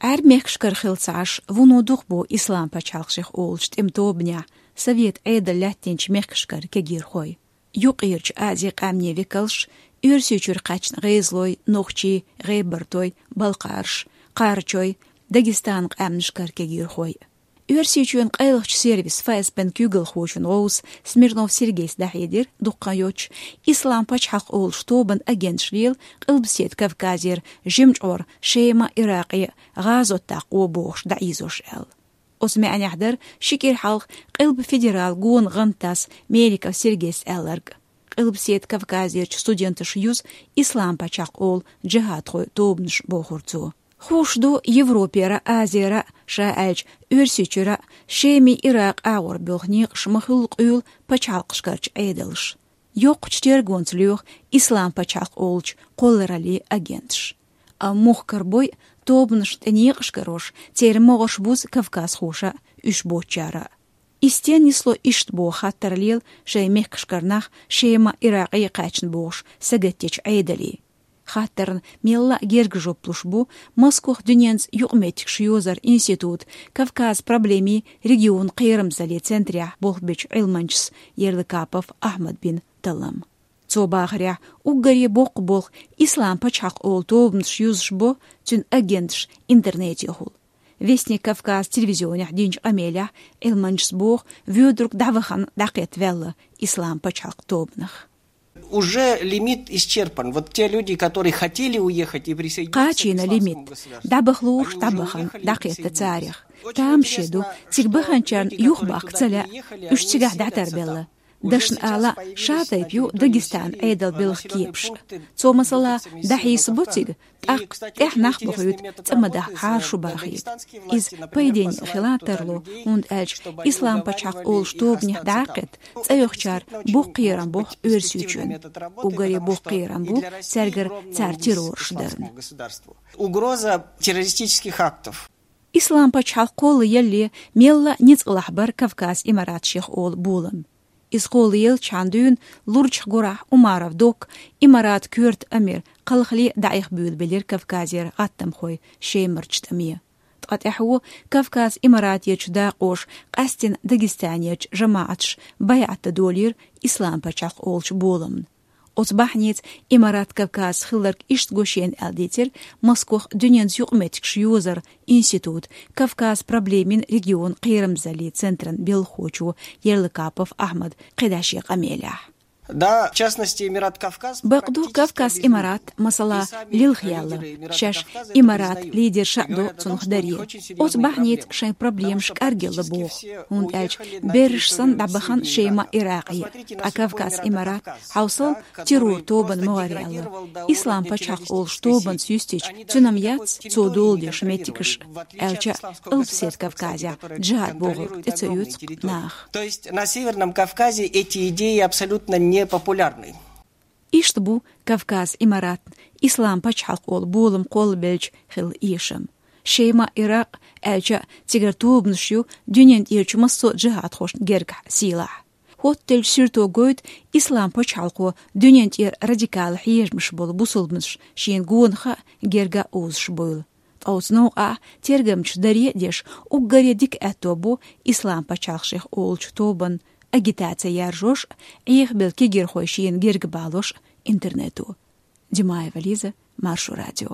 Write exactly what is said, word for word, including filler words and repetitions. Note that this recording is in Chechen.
Ӏарбий мехкашкара хилла ца Ӏаш, вуно дукха бу Ислам пачхьалкх шех олучу тӀеман тобанехь, Совет Ӏедал лаьттинчу мехкашкара кегийрхой. Юккъерчу Азин къаьмнийн векалш, Оьрсийчуьра кхаьчна гӀезалой, нохчий, гӀебартой, балкхараш, кхарачой, Дагестанан къаьмнашкара кегийрхой. Оьрсийчоьнан къайлахчу сервис ФСБ-н куьйгалхочун гӀовс Смирнов Сергейс дӀахьедира дуккха йоцуш, Ислам пачхьалкх олучу тобанан агенташ лела Къилбаседа Кавказера жимачкъор Шема, Иракъе, гӀазот даккха бохуш дӀаийзош аьлла. Оцу маьӀнехь дара ши кӀира хьалха Къилба федерал гонан гӀантдас Меликов Сергейс аьлларг. Къилбаседа Кавказерчу студенташа юзу Ислам пачхьалкх олу джихадхойн тобанаш бохура цо. Хууш ду Европера, Азера, ша аьлча Оьрсийчуьра, Шемий, Иракъ агӀор боьлху некъаш ма-хуьллу къуьйлу пачхьалкхашкарчу Ӏедалш. Йоккхачу тергонца лоьху Ислам пачхьалкх олучу кхоллараллин агенташ. Амма мухкар бой, тобанаш тӀе некъаш карош, церан могӀарш бузу кавказхоша, уьш боцучара. И стенна нисло иштта боху хаттар лела шайн мехкашкара нах Шема, Иракъе кхаьчна бохуш сагатдечу Ӏедале? Хаттарна мелла а герга жоп луш бу Москох дуьненца юкъаметтигаш йозаран институт Кавказ проблемийн регионан кхерамзаллин центрехь болх бечу Ӏилманчас Ерлыкапов Ахьмад бина таллам. Цо бахарехь, уггаре боккха болх Ислам пачхьалкх олу тобанаш юзуш бо цуьнан агенташ интернетехула. Вестник Кавказ телевизионехь динчу къамелехь Ӏилманчас боху, воьдург дӀавахана дӀакхетта ваьлла Ислам пачхьалкх тобанах. Уже лимит исчерпан. Вот те люди, которые хотели уехать и присоединиться к Кхачийна исламскому лимит. Государству, дӀабаха лууш, они уже дӀабахана, уехали и дӀакхетта присоединились. Царах. Очень Там интересно, шеду, что цига те баханчарна люди, которые юха бахка ца лаьа, уехали, уж они цигахь селятся дӀатарбелла. Там. Дашна ала, ша тайпа ю Дагестан Ӏедал белхан кепаш. Цо, масала, дӀахьийса бо цига, тӀаккха тӀехь нах бохуьйту, цӀа ма даха, хьаршу бахийта. Иза пайденна хила тарло, хӀунда аьлча Ислам пачхьалкх олуш тобанех дӀакхетта, цӀа йохучара боккха кхерам боху Оьрсийчоьнна. Уггаре боккха кхерам бу цаьргара цара террорш дарна. Угроза террористических актов. Ислам пачхьалкх кхолла ялале мелла а ницкъалахь бара Кавказ Имарат шех олу болам. Иза кхолла елчхьана дуьйна лурчех гурахь Умаров Докка, Имарат коьрта амир, кхалхале дӀаэха буьйлабелира Кавказера гӀаттамхой Шемарчу тӀаме. Ткъа тӀаьхьо Кавказ Имаратерчу дакъоша къаьсттина Дагестанерчу жамаӀаташа байӀат дан долийра Ислам пачхьалкх олучу боламна. Оцу бахьанеца Имарат Кавказца хилларг иштта го шена аьлла дийцира Москох дуьненца юкъаметтигаш йозаран институт Кавказ проблемийн регионан кхерамзаллин центран белхахочо Ерлыкапов Ахьмада кхидӀа шен къамелехь. Да, в частности, Эмират Кавказ. Бакъду, Кавказ Имарат, масала, лилхъяьлла, шаьш Имарат лидерша а до цунах даре. Оцу бахьанеца шайн проблемаш кӀаргъелла боху, хӀунда аьлча берриш санна дӀабахана Шема, Иракъе, ткъа Кавказ Имарат хьовсал террор тобанна могӀаръяьлла. Ислам пачхьалкх олуш тобанца юьстича, цуьнан яц цо дола деш меттигаш, аьлча а, Къилбаседа Кавказехь джихад бохург тӀе ца оьцу наха. То есть на Северном Кавказе эти идеи абсолютно непопулярны. Иштта бу Кавказ Имаратна Ислам пачхьалкх олу болам кхоллабелча хилла эшам. Шема, Иракъ, аьлча а, цигара тобанаш ю дуьнен тӀерачу массо а джихадхошна гергахь сийлахь. ХӀоттаделлачу суьрто гойту, Ислам пачхьалкхо дуьнен тӀера радикал хьежамаш болу бусулбанаш шена гонах а, герга а озуш буйла. Ткъа оцу новкъахь тергамчаша даре а деш, уггаре дика аьтто бу Ислам пачхьалкх шех олучу тобанна агитаци яржош а, Ӏехабелла кегийрхой шена герга балош а интернето. Димаева Лиза, Маршо радио.